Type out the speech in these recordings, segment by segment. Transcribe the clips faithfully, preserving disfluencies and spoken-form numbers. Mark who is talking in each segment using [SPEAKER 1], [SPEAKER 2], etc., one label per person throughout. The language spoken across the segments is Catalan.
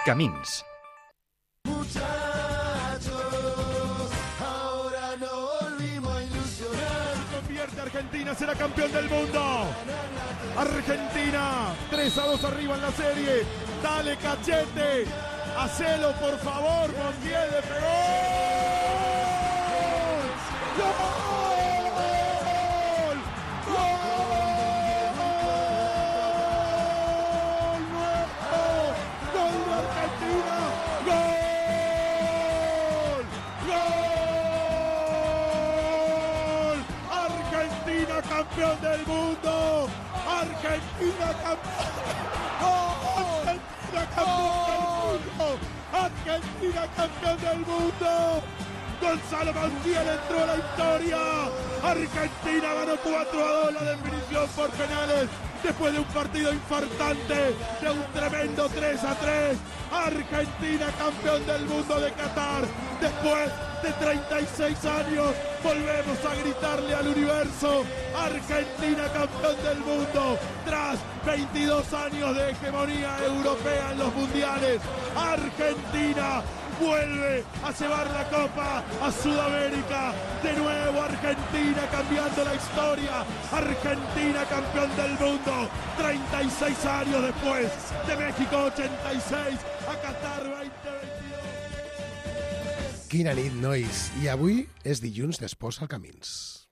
[SPEAKER 1] Camins.
[SPEAKER 2] Argentina será campeón del mundo. Argentina, tres a dos arriba en la serie. Dale, Cachete. Hacelo, por favor, Montiel de pegó. ¡Gol! ¡Gol! ¡Nuevo! ¡Gol de Argentina! ¡Gol! ¡Argentina campeón del mundo! ¡Argentina campeón! ¡Argentina campeón del mundo! ¡Argentina campeón del mundo! Gonzalo Montiel entró a la historia. Argentina ganó cuatro a dos la definición por penales después de un partido infartante, de un tremendo tres a tres. Argentina campeón del mundo de Qatar. Después de treinta y seis años volvemos a gritarle al universo: Argentina campeón del mundo. Tras veintidós años de hegemonía europea en los mundiales, Argentina vuelve a llevar la copa a Sudamérica. De nuevo Argentina cambiando la historia. Argentina campeón del mundo. treinta y seis años después de México ochenta y seis a Qatar veinte veintidós.
[SPEAKER 3] Quina nit, nois. I avui és dilluns d'Esports al Camins.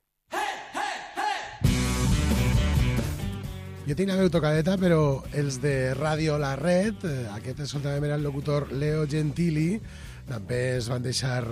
[SPEAKER 3] Jo tinc la veu tocadeta, però els de Ràdio La Red, aquest escoltàvem era el locutor Leo Gentili, també es van deixar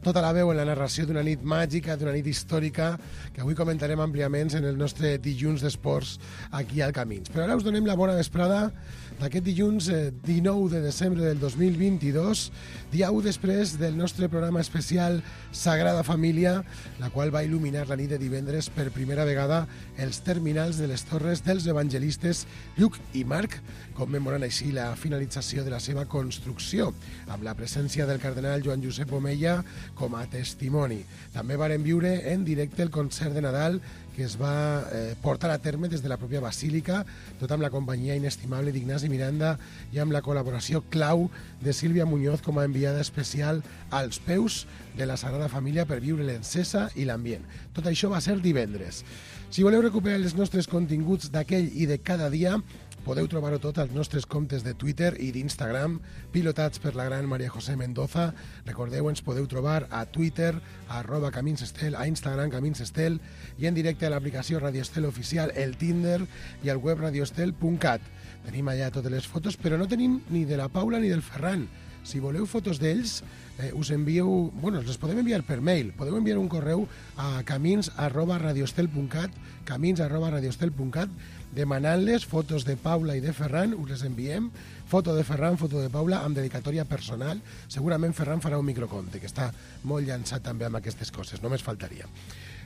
[SPEAKER 3] tota la veu en la narració d'una nit màgica, d'una nit històrica, que avui comentarem àmpliament en el nostre dilluns d'esports aquí al Camins. Però ara us donem la bona vesprada d'aquest dilluns dinou de desembre del dos mil vint-i-dos, dia u després del nostre programa especial Sagrada Família, la qual va il·luminar la nit de divendres per primera vegada els terminals de les torres dels evangelistes Lluc i Marc, commemorant així la finalització de la seva construcció, amb la presència del cardenal Joan Josep Omeya com a testimoni. També varen viure en directe el concert de Nadal que es va eh, portar a terme des de la pròpia Basílica, tot amb la companyia inestimable d'Ignasi Miranda i amb la col·laboració clau de Sílvia Muñoz com a enviada especial als peus de la Sagrada Família per viure l'encesa i l'ambient. Tot això va ser divendres. Si voleu recuperar els nostres continguts d'aquell i de cada dia, podeu trobar-ho tot als nostres comptes de Twitter i d'Instagram, pilotats per la gran Maria José Mendoza. Recordeu, ens podeu trobar a Twitter, a arroba Camins Estel, a Instagram Camins Estel i en directe a l'aplicació Radio Estel Oficial, el Tinder i al web radioestel punt cat. Tenim allà totes les fotos, però no tenim ni de la Paula ni del Ferran. Si voleu fotos d'ells, eh, us envieu... Bueno, les podem enviar per mail. Podeu enviar un correu a camins arroba radioestel punt cat, camins arroba radioestel punt cat, demanant-les fotos de Paula i de Ferran, us les enviem, foto de Ferran, foto de Paula, amb dedicatòria personal. Segurament Ferran farà un microconte, que està molt llançat també amb aquestes coses, només faltaria.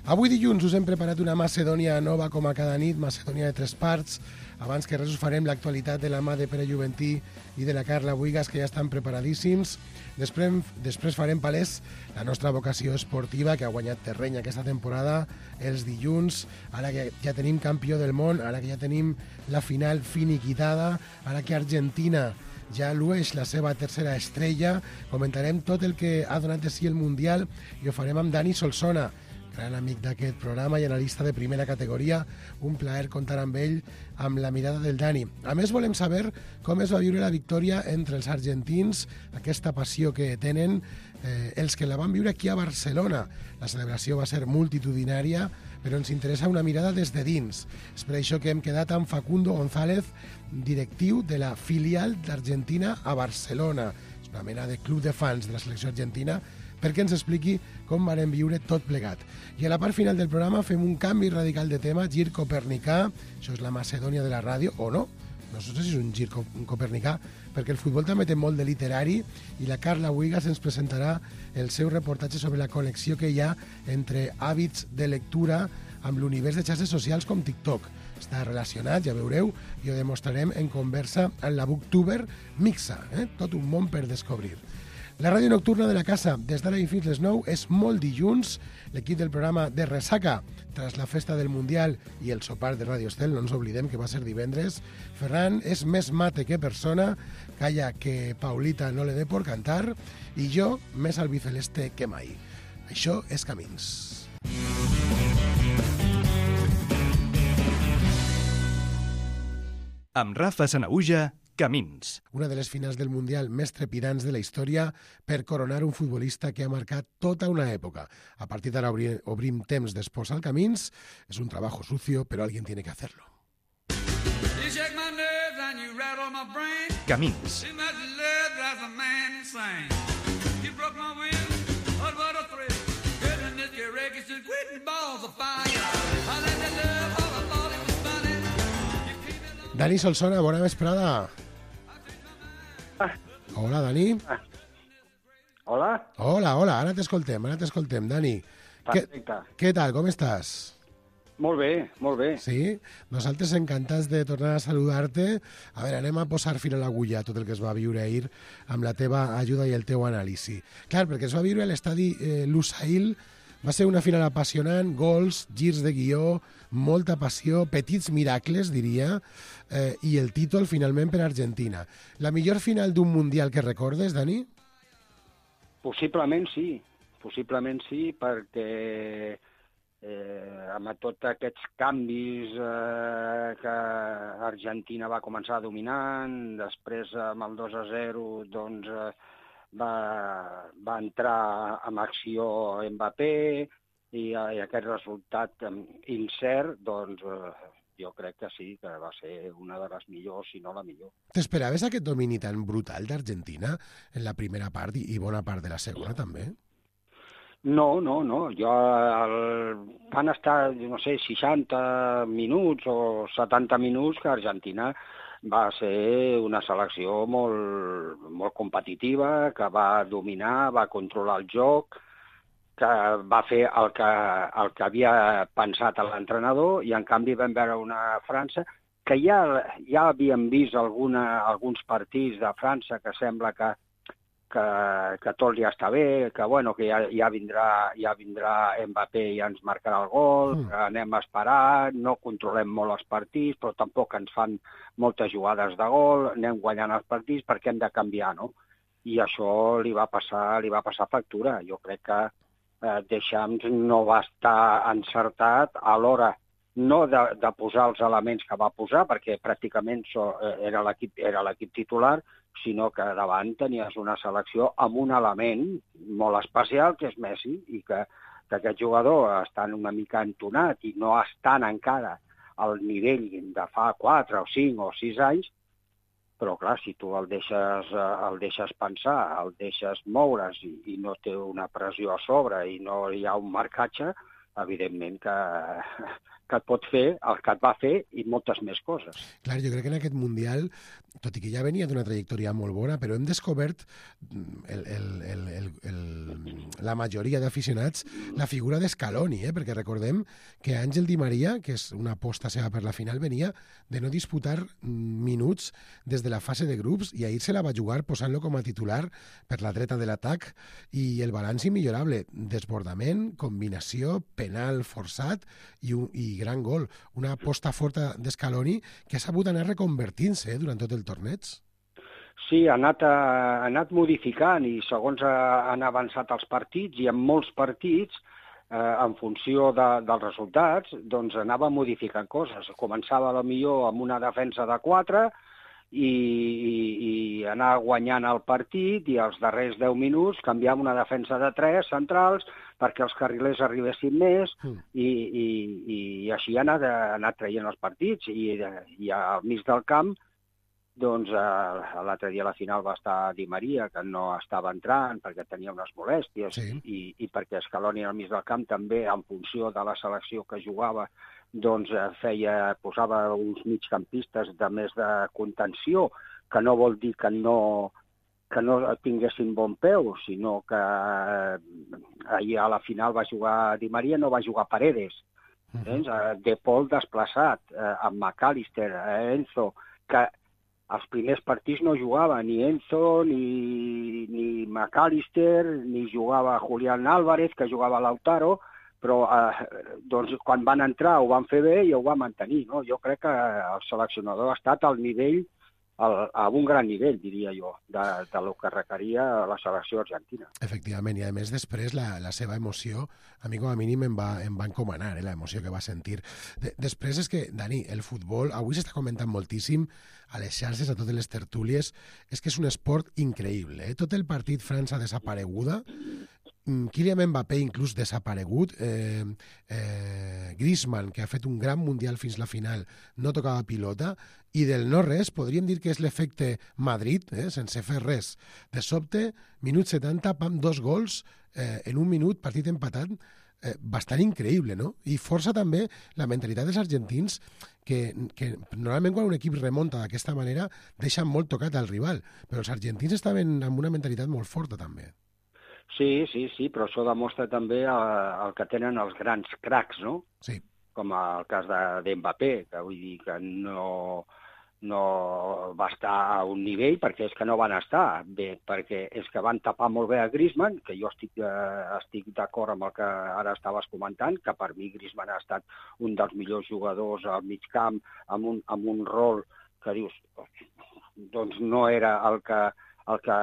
[SPEAKER 3] Avui dilluns us hem preparat una Macedònia nova com a cada nit, Macedònia de tres parts. Abans que res us farem l'actualitat de la mà de Pere Juventí i de la Carla Buigas, que ja estan preparadíssims. Després, després farem palès la nostra vocació esportiva, que ha guanyat terreny aquesta temporada, els dilluns, ara que ja tenim campió del món, ara que ja tenim la final finiquitada, ara que Argentina ja llueix la seva tercera estrella. Comentarem tot el que ha donat de si el Mundial i ho farem amb Dani Solsona, gran amic d'aquest programa i analista de primera categoria. Un plaer comptar amb ell, amb la mirada del Dani. A més, volem saber com es va viure la victòria entre els argentins, aquesta passió que tenen eh, els que la van viure aquí a Barcelona. La celebració va ser multitudinària, però ens interessa una mirada des de dins. És per això que hem quedat amb Facundo González, directiu de la filial d'Argentina a Barcelona. És una mena de club de fans de la selecció argentina, perquè ens expliqui com varen viure tot plegat. I a la part final del programa fem un canvi radical de tema, gir copernicà, això és la Macedònia de la ràdio, o no? No sé si és un gir copernicà, perquè el futbol també té molt de literari i la Carla Buigas ens presentarà el seu reportatge sobre la connexió que hi ha entre hàbits de lectura amb l'univers de xarxes socials com TikTok. Està relacionat, ja veureu, i ho demostrarem en conversa amb la booktuber Mixa, eh? Tot un món per descobrir. La ràdio nocturna de la casa, des d'ara i fins les nou, és molt dilluns. L'equip del programa de Ressaca, tras la festa del Mundial i el sopar de Radio Estel, no ens oblidem que va ser divendres. Ferran és més mate que persona, calla que Paulita no le dé por cantar, i jo més albiceleste que mai. Això és Camins.
[SPEAKER 1] Amb Rafa Sanaüja, Camins.
[SPEAKER 3] Una de les finals del Mundial més trepidants de la història per coronar un futbolista que ha marcat tota una època. A partir d'ara obrim, obrim temps d'espòs al Camins. És un trabajo sucio, però alguien tiene que hacerlo.
[SPEAKER 1] Camins.
[SPEAKER 3] Dani Solsona, bona vesprada.
[SPEAKER 4] Ah.
[SPEAKER 3] Hola, Dani.
[SPEAKER 4] Ah. Hola.
[SPEAKER 3] Hola, hola, ara t'escoltem, ara t'escoltem, Dani.
[SPEAKER 4] Perfecte.
[SPEAKER 3] Què, què tal, com estàs?
[SPEAKER 4] Molt bé, molt bé.
[SPEAKER 3] Sí? Nosaltres encantats de tornar a saludar-te. A veure, anem a posar fil a l'agulla a tot el que es va viure ahir amb la teva ajuda i el teu anàlisi. Clar, perquè es va viure a l'estadi eh, Lusail. Va ser una final apassionant, gols, girs de guió, molta passió, petits miracles, diria, eh, i el títol finalment per Argentina. La millor final d'un Mundial que recordes, Dani?
[SPEAKER 4] Possiblement sí, possiblement sí, perquè eh, amb tots aquests canvis eh, que Argentina va començar dominant, després amb el dos a zero, doncs... Eh, Va, va entrar en acció Mbappé i, i aquest resultat incert, doncs eh, jo crec que sí, que va ser una de les millors, si no la millor.
[SPEAKER 3] T'esperaves aquest domini tan brutal d'Argentina en la primera part i bona part de la segona també?
[SPEAKER 4] No, no, no. Jo, el, van estar, no sé, seixanta minuts o setanta minuts que Argentina va ser una selecció molt, molt competitiva, que va dominar, va controlar el joc, que va fer el que, el que havia pensat l'entrenador, i en canvi vam veure una França que ja, ja havíem vist alguna, alguns partits de França que sembla que, que, que tot ja està bé, que, bueno, que ja, ja, vindrà, ja vindrà Mbappé i ja ens marcarà el gol, mm. que anem a esperar, no controlem molt els partits, però tampoc ens fan moltes jugades de gol, anem guanyant els partits perquè hem de canviar, no? I això li va passar, li va passar factura. Jo crec que eh, Deschamps no va estar encertat a l'hora no de, de posar els elements que va posar, perquè pràcticament so, era l'equip era l'equip titular, sinó que davant tenies una selecció amb un element molt especial, que és Messi, i que, que aquest jugador està una mica entonat i no estan encara al nivell de fa quatre o cinc o sis anys, però clar, si tu el deixes, el deixes pensar, el deixes moure's i, i no té una pressió a sobre i no hi ha un marcatge, evidentment que, que et pot fer el que et va fer i moltes més coses.
[SPEAKER 3] Clar, jo crec que en aquest Mundial, tot i que ja venia d'una trajectòria molt bona, però hem descobert el, el, el, el, el, la majoria d'aficionats la figura d'Scaloni, eh? Perquè recordem que Àngel Di Maria, que és una aposta seva per la final, venia de no disputar minuts des de la fase de grups i ahir se la va jugar posant-lo com a titular per la dreta de l'atac, i el balanç immillorable, desbordament, combinació, penal forçat i, un, i gran gol. Una aposta forta d'Scaloni que ha sabut anar reconvertint-se eh, durant tot el torneig.
[SPEAKER 4] Sí, ha anat, ha anat modificant i segons han avançat els partits, i en molts partits, eh, en funció de, dels resultats, doncs anava modificant coses. Començava potser amb una defensa de quatre i, i, i anar guanyant el partit, i als darrers deu minuts canviar una defensa de tres centrals perquè els carrilers arribessin més, mm. i, i, i així ha anat, ha anat traient els partits. I, i al mig del camp, doncs eh, l'altre dia a la final va estar Di Maria, que no estava entrant perquè tenia unes molèsties, sí. i, i perquè Scaloni al mig del camp també, en funció de la selecció que jugava, doncs feia, posava uns migcampistes de més de contenció, que no vol dir que no, que no tinguessin bon peu, sinó que ahir a la final va jugar Di Maria, no va jugar Paredes. Uh-huh. De Paul desplaçat, amb McAllister, Enzo, que els primers partits no jugava ni Enzo, ni, ni McAllister, ni jugava Julián Álvarez, que jugava Lautaro, però eh, doncs, quan van entrar ho van fer bé i ho van mantenir. No? Jo crec que el seleccionador ha estat al nivell, al, a un gran nivell, diria jo, de, de lo que requeria la selecció argentina.
[SPEAKER 3] Efectivament, i a més després la, la seva emoció, a mi com a mínim em va, em va encomanar, eh, l'emoció que va sentir. De, després és que, Dani, el futbol, avui s'està comentant moltíssim a les xarxes, a totes les tertúlies, és que és un esport increïble. Eh? Tot el partit França desapareguda, Kylian Mbappé inclús desaparegut, eh, eh, Griezmann, que ha fet un gran mundial fins la final, no tocava pilota, i del no-res podríem dir que és l'efecte Madrid, eh, sense fer res. De sobte, minut setanta, pam, dos gols, eh, en un minut, partit empatat, eh, bastant increïble, no? I força també la mentalitat dels argentins, que, que normalment quan un equip remunta d'aquesta manera deixa molt tocat al rival, però els argentins estaven amb una mentalitat molt forta també.
[SPEAKER 4] Sí, sí, sí, però això demostra també el, el que tenen els grans cracs, no?
[SPEAKER 3] Sí.
[SPEAKER 4] Com el cas de, de Mbappé, que vull dir que no, no va estar a un nivell perquè és que no van estar bé, perquè és que van tapar molt bé a Griezmann, que jo estic, eh, estic d'acord amb el que ara estaves comentant, que per mi Griezmann ha estat un dels millors jugadors al mig camp, amb un, amb un rol que dius, doncs no era el que el que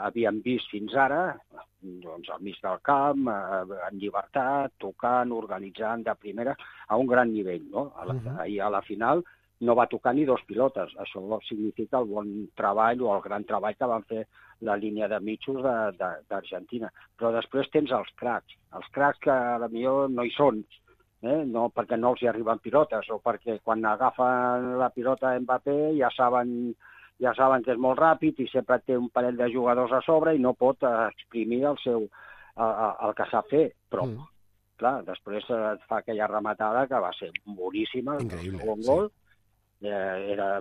[SPEAKER 4] havíem vist fins ara, doncs al mig del camp, en llibertat, tocant, organitzant de primera, a un gran nivell, no? A la, uh-huh. Ahir a la final no va tocar ni dos pilotes. Això significa el bon treball o el gran treball que van fer la línia de mitjos d'Argentina. Però després tens els cracs, els cracs que potser no hi són, eh? No perquè no els hi arriben pilotes, o perquè quan agafen la pilota Mbappé ja saben ja saben que és molt ràpid i sempre té un parell de jugadors a sobre i no pot exprimir el seu el, el que sap fer, però mm. clar, després et fa aquella rematada que va ser boníssima,
[SPEAKER 3] increïble,
[SPEAKER 4] el segon gol, sí. eh, era,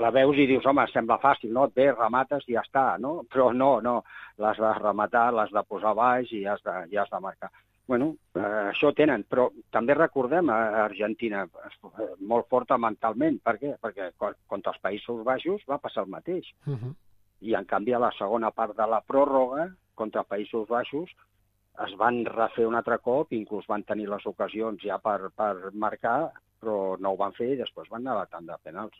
[SPEAKER 4] la veus i dius, home, sembla fàcil, no? Et ve, remates i ja està, no? Però no, no, l'has de rematar, l'has de posar baix i ja has de, ja has de marcar. Bueno, eh, això tenen, però també recordem a Argentina molt forta mentalment. Per què? Perquè contra els Països Baixos va passar el mateix. Uh-huh. I en canvi a la segona part de la pròrroga contra Països Baixos es van refer un altre cop, inclús van tenir les ocasions ja per, per marcar, però no ho van fer i després van anar a la tanda de penals.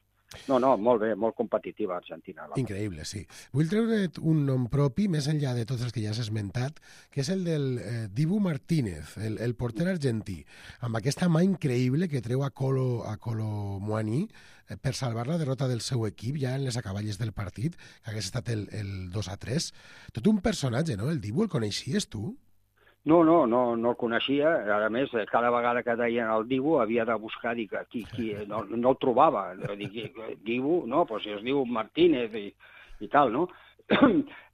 [SPEAKER 4] No, no, molt bé, molt competitiva Argentina.
[SPEAKER 3] Increïble, sí. Vull treure't un nom propi, més enllà de tots els que ja has esmentat, que és el del eh, Dibu Martínez, el, el porter argentí, amb aquesta mà increïble que treu a Colo, a Colo Muani eh, per salvar la derrota del seu equip ja en les acaballes del partit, que hagués estat el, el dos a tres. Tot un personatge, no? El Dibu, el coneixies tu?
[SPEAKER 4] No, no, no, no el coneixia. A més, cada vegada que deien el Dibu havia de buscar, dic, qui, qui, no, no el trobava. Dic, Dibu, no, doncs es diu Martínez i, i tal, no?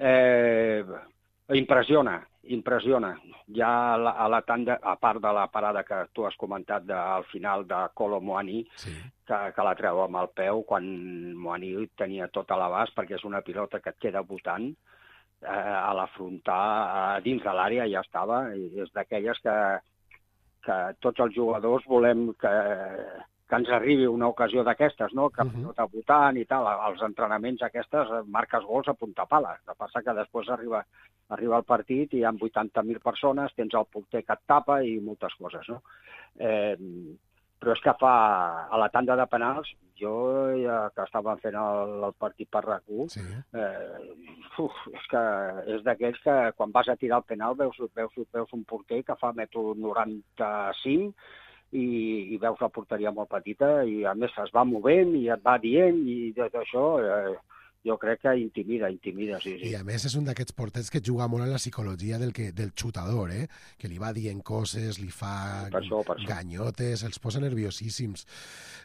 [SPEAKER 4] eh, impressiona, impressiona. Ja a la, a la tanda, a part de la parada que tu has comentat de, al final de Colo Muani, sí. que, que la treu amb el peu, quan Muani tenia tot a l'abast, perquè és una pilota que et queda botant, a l'afrontar dins de l'àrea ja estava, i és d'aquelles que, que tots els jugadors volem que, que ens arribi una ocasió d'aquestes, no? Que uh-huh. tot votant i tal, als entrenaments aquestes marques gols a punta pala. El que passa que després arriba, arriba el partit i hi ha vuitanta mil persones, tens el porter que et tapa i moltes coses, no? Eh, però és que fa, a la tanda de penals, jo ja que estàvem fent el, el partit per RAC u, sí. eh, uf, és que és d'aquells que quan vas a tirar el penal veus, veus, veus un porter que fa metro noranta-cinc i, i veus la porteria molt petita i a més es va movent i et va dient i tot això... Eh, jo crec que intimida, intimida, sí, sí.
[SPEAKER 3] I a més és un d'aquests porters que juga molt en la psicologia del, que, del xutador, eh? Que li va dient coses, li fa
[SPEAKER 4] per això, per
[SPEAKER 3] ganyotes, els posa nerviosíssims.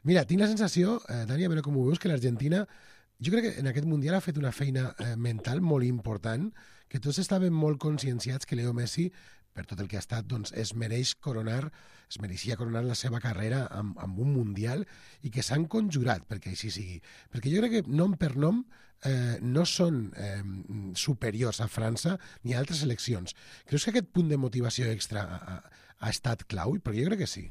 [SPEAKER 3] Mira, tinc la sensació, eh, Dani, a veure com ho veus, que l'Argentina, jo crec que en aquest Mundial ha fet una feina eh, mental molt important, que tots estaven molt conscienciats que Leo Messi, per tot el que ha estat, doncs es mereix coronar, es mereixia coronar la seva carrera amb, amb un Mundial i que s'han conjurat perquè així sigui. Perquè jo crec que nom per nom eh, no són eh, superiors a França ni a altres seleccions. Creus que aquest punt de motivació extra ha, ha estat clau? Perquè jo crec que sí.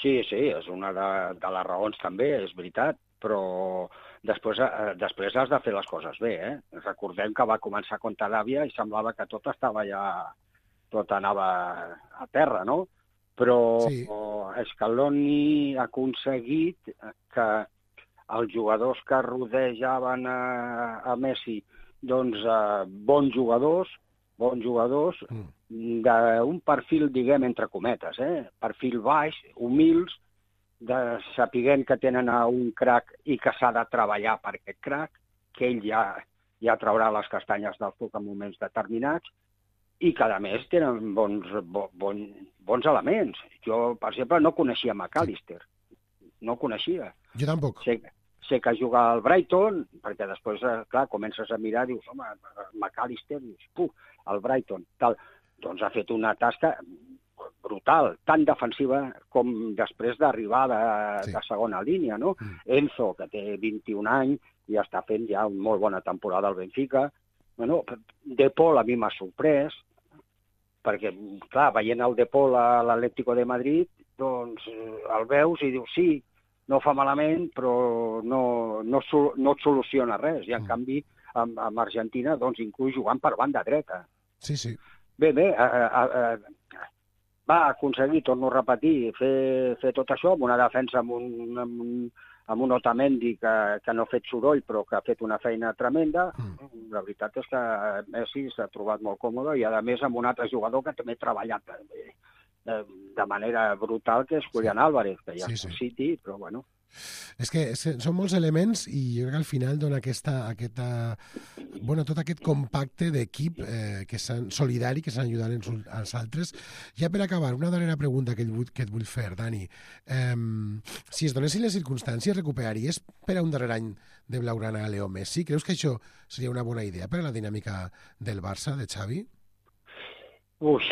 [SPEAKER 4] Sí, sí, és una de, de les raons també, és veritat, però després, eh, després has de fer les coses bé, eh? Recordem que va començar contra l'Àvia i semblava que tot estava ja... tot anava a terra, no? Però sí. Scaloni ha aconseguit que els jugadors que rodejaven a, a Messi, doncs, eh, bons jugadors, bons jugadors, mm. d'un perfil, diguem, entre cometes, eh? Perfil baix, humils, de sapiguent que tenen a un crac i que s'ha de treballar per aquest crac, que ell ja, ja traurà les castanyes del foc en moments determinats, i que, a més, tenen bons, bo, bon, bons elements. Jo, per exemple, no coneixia McAllister. No coneixia.
[SPEAKER 3] Jo tampoc.
[SPEAKER 4] Sé, sé que juga al Brighton, perquè després, clar, comences a mirar, dius, home, McAllister, dius, puh, al Brighton, tal. Doncs ha fet una tasca brutal, tan defensiva com després d'arribar de, sí. de segona línia, no? Mm. Enzo, que té vint-i-un anys, i està fent ja una molt bona temporada al Benfica. Bueno, De Paul a mi m'ha sorprès, perquè, clar, veient el De Paul a l'Atlético de Madrid, doncs el veus i dius, sí, no fa malament, però no, no, no et soluciona res. I, en mm. canvi, amb, amb Argentina, doncs, inclús jugant per banda dreta.
[SPEAKER 3] Sí, sí.
[SPEAKER 4] Bé, bé, a, a, a, va aconseguir, torno a repetir, fer, fer tot això amb una defensa amb un, amb un, amb un Otamendi que, que no ha fet soroll, però que ha fet una feina tremenda. Mm. La veritat és que Messi s'ha trobat molt còmode i, a més, amb un altre jugador que també ha treballat de, de manera brutal, que és Julián sí. Álvarez, que ja sí, és sí. City, però bueno...
[SPEAKER 3] És que són molts elements i jo crec que al final dona aquesta, aquesta bueno, tot aquest compacte d'equip eh, que solidari, que s'han ajudat els, els altres. Ja per acabar, una darrera pregunta que, vull, que et vull fer, Dani. Eh, si es donessin les circumstàncies, recuperaries per a un darrer any de Blaugrana a Leo Messi? Creus que això seria una bona idea per a la dinàmica del Barça, de Xavi?
[SPEAKER 4] Ui,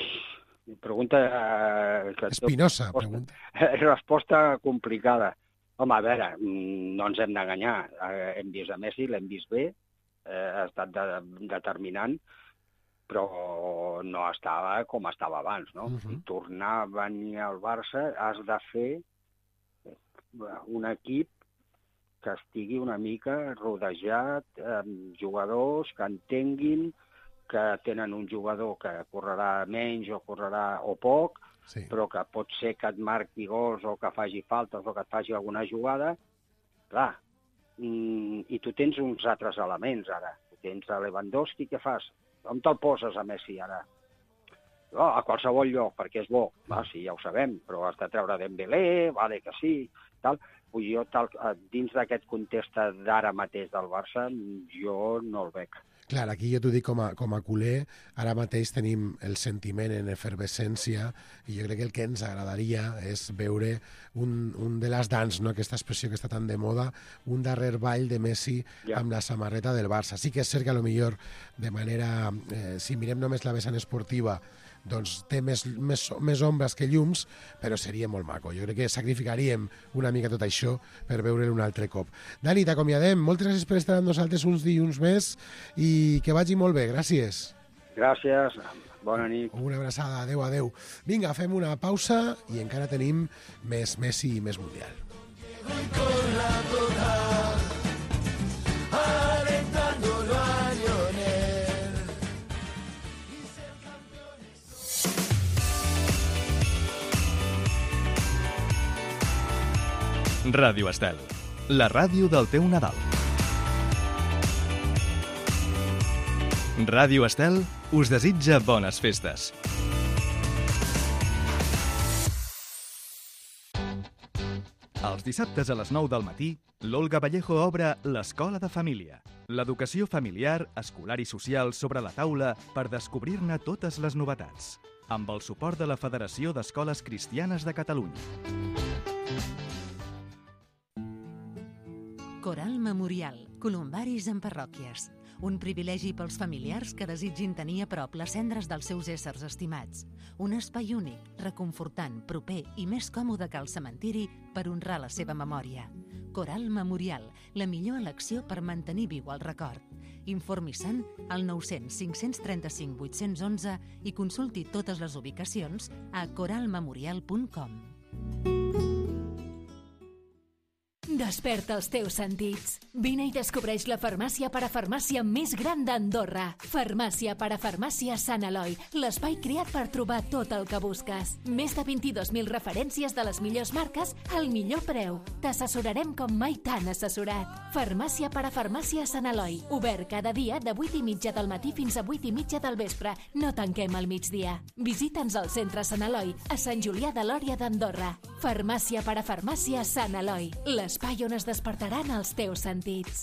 [SPEAKER 4] pregunta... Eh,
[SPEAKER 3] Espinosa,
[SPEAKER 4] resposta,
[SPEAKER 3] pregunta.
[SPEAKER 4] Resposta complicada. Home, a veure, no ens hem d'enganyar. Eh, hem vist a Messi, l'hem vist bé, eh, ha estat de, determinant, però no estava com estava abans, no? Uh-huh. I tornar a venir al Barça has de fer un equip que estigui una mica rodejat amb jugadors que entenguin que tenen un jugador que correrà menys o correrà o poc, sí. però que pot ser que et marqui gols o que faci faltes o que et faci alguna jugada, clar, i tu tens uns altres elements ara. Tens a Lewandowski, què fas? On te'l poses a Messi ara? Oh, a qualsevol lloc, perquè és bo. Va, sí, ja ho sabem, però has de treure Dembélé, vale que sí, tal. Vull jo, tal, dins d'aquest context d'ara mateix del Barça, jo no el veig.
[SPEAKER 3] Clar, aquí jo t'ho dic com a, com a culer, ara mateix tenim el sentiment en efervescència i jo crec que el que ens agradaria és veure un, un de les dans, no? Aquesta expressió que està tan de moda, un darrer ball de Messi ja. Amb la samarreta del Barça. Sí que és cert que a lo millor de manera, eh, si mirem només la vessant esportiva, doncs té més, més, més ombres que llums, però seria molt maco. Jo crec que sacrificaríem una mica tot això per veure'l un altre cop. Dani, t'acomiadem. Moltes gràcies per estar amb nosaltres uns dilluns més i que vagi molt bé. Gràcies.
[SPEAKER 4] Gràcies. Bona nit.
[SPEAKER 3] Una abraçada. Adéu, adéu. Vinga, fem una pausa i encara tenim més Messi i més Mundial.
[SPEAKER 1] Ràdio Estel, la ràdio del teu Nadal. Ràdio Estel us desitja bones festes. Els dissabtes a les nou del matí, l'Olga Vallejo obre l'Escola de Família. L'educació familiar, escolar i social sobre la taula per descobrir-ne totes les novetats. Amb el suport de la Federació d'Escoles Cristianes de Catalunya.
[SPEAKER 5] Coral Memorial, columbaris en parròquies. Un privilegi pels familiars que desitgin tenir a prop les cendres dels seus éssers estimats. Un espai únic, reconfortant, proper i més còmode que el cementiri per honrar la seva memòria. Coral Memorial, la millor elecció per mantenir viu el record. Informi-se'n al nou cents cinc cents trenta-cinc vuit-cents onze i consulti totes les ubicacions a coral memorial punt com.
[SPEAKER 6] De Desperta els teus sentits. Vine i descobreix la farmàcia parafarmàcia més gran d'Andorra. Farmàcia parafarmàcia Sant Eloi, l'espai creat per trobar tot el que busques. Més de vint-i-dos mil referències de les millors marques al millor preu. T'assessorarem com mai t'han assessorat. Farmàcia parafarmàcia Sant Eloi, obert cada dia de vuit i mitja del matí fins a vuit i mitja del vespre. No tanquem al migdia. Visita'ns al centre Sant Eloi, a Sant Julià de Lòria d'Andorra. Farmàcia parafarmàcia Sant Eloi, l'espai on es despertaran els teus sentits.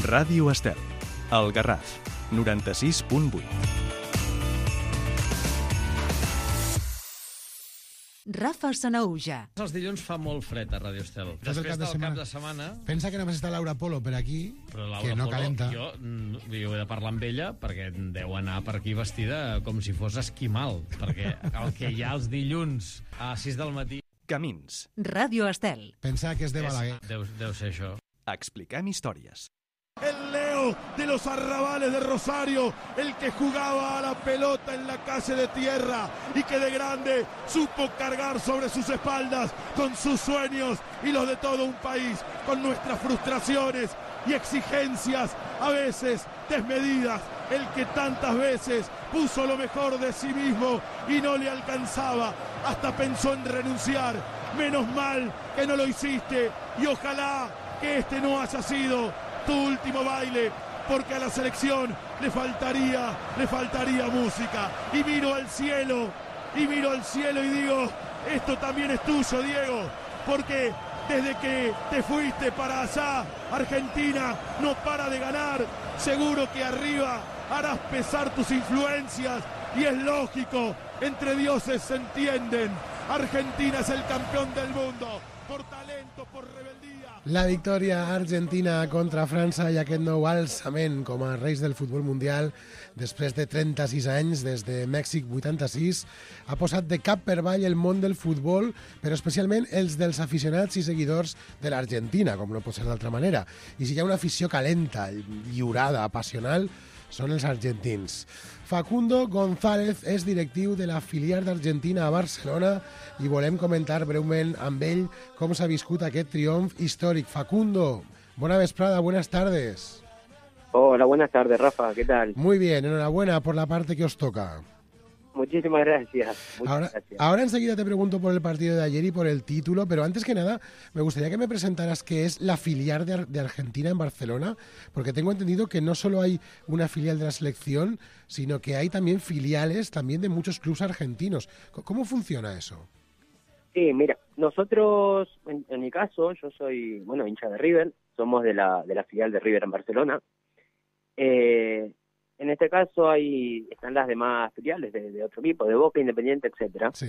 [SPEAKER 1] Ràdio Estel, El Garraf, noranta-sis punt vuit.
[SPEAKER 5] Rafa Sanauja.
[SPEAKER 7] Els dilluns fa molt fred a Ràdio Estel.
[SPEAKER 3] Després
[SPEAKER 7] Després
[SPEAKER 3] del cap de
[SPEAKER 7] del cap
[SPEAKER 3] setmana.
[SPEAKER 7] de setmana...
[SPEAKER 3] Pensa que només està Laura Polo per aquí,
[SPEAKER 7] Però Laura
[SPEAKER 3] que no
[SPEAKER 7] Polo,
[SPEAKER 3] calenta.
[SPEAKER 7] Jo, mm, jo he de parlar amb ella perquè deu anar per aquí vestida com si fos esquimal, perquè el que hi ha els dilluns a sis del matí...
[SPEAKER 1] Camins.
[SPEAKER 5] Ràdio Estel.
[SPEAKER 3] Pensa que és de Balaguer.
[SPEAKER 7] És, deu, deu ser això.
[SPEAKER 1] Expliquem històries.
[SPEAKER 2] El Leo de los arrabales de Rosario, el que jugaba a la pelota en la calle de tierra y que de grande supo cargar sobre sus espaldas con sus sueños y los de todo un país, con nuestras frustraciones y exigencias a veces desmedidas, el que tantas veces puso lo mejor de sí mismo y no le alcanzaba, hasta pensó en renunciar. Menos mal que no lo hiciste y ojalá que este no haya sido tu último baile, porque a la selección le faltaría, le faltaría música. Y miro al cielo, y miro al cielo y digo, esto también es tuyo, Diego, porque desde que te fuiste para allá, Argentina no para de ganar. Seguro que arriba harás pesar tus influencias, y es lógico, entre dioses se entienden. Argentina es el campeón del mundo, por talento, por rebeldía.
[SPEAKER 3] La victòria argentina contra França i aquest nou alçament com a reis del futbol mundial després de trenta-sis anys, des de Mèxic vuitanta-sis, ha posat de cap per avall el món del futbol, però especialment els dels aficionats i seguidors de l'Argentina, com no pot ser d'altra manera. I si hi ha una afició calenta, lliurada, apassional, són els argentins. Facundo González és directiu de la filial d'Argentina a Barcelona i volem comentar breument amb ell com s'ha viscut aquest triomf històric. Facundo, bona vesprada, buenas tardes.
[SPEAKER 8] Hola, buenas tardes, Rafa, ¿qué tal?
[SPEAKER 3] Muy bien, enhorabuena por la parte que os toca.
[SPEAKER 8] Muchísimas gracias. Muchas
[SPEAKER 3] Ahora,
[SPEAKER 8] gracias.
[SPEAKER 3] ahora enseguida te pregunto por el partido de ayer y por el título, pero antes que nada me gustaría que me presentaras qué es la filial de, Ar- de Argentina en Barcelona, porque tengo entendido que no solo hay una filial de la selección, sino que hay también filiales también de muchos clubes argentinos. C- ¿Cómo funciona eso?
[SPEAKER 8] Sí, mira, nosotros, en, en mi caso, yo soy, bueno, hincha de River, somos de la, de la filial de River en Barcelona. Eh, en este caso hay están las demás filiales de, de otro equipo, de Boca, Independiente, etcétera.
[SPEAKER 3] Sí.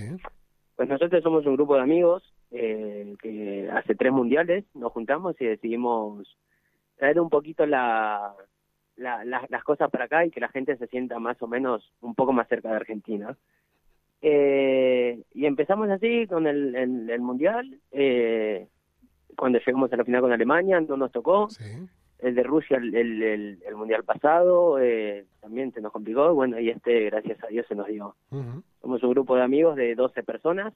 [SPEAKER 8] Pues nosotros somos un grupo de amigos eh, que hace tres mundiales nos juntamos y decidimos traer un poquito la, la, la- las cosas para acá y que la gente se sienta más o menos un poco más cerca de Argentina. Eh, y empezamos así con el, el, el mundial. Eh, cuando llegamos a la final con Alemania no nos tocó.
[SPEAKER 3] Sí.
[SPEAKER 8] El de Rusia, el, el, el, el mundial pasado, eh, también se nos complicó. Bueno, y este, gracias a Dios, se nos dio.
[SPEAKER 3] Ujú.
[SPEAKER 8] Somos un grupo de amigos de doce personas,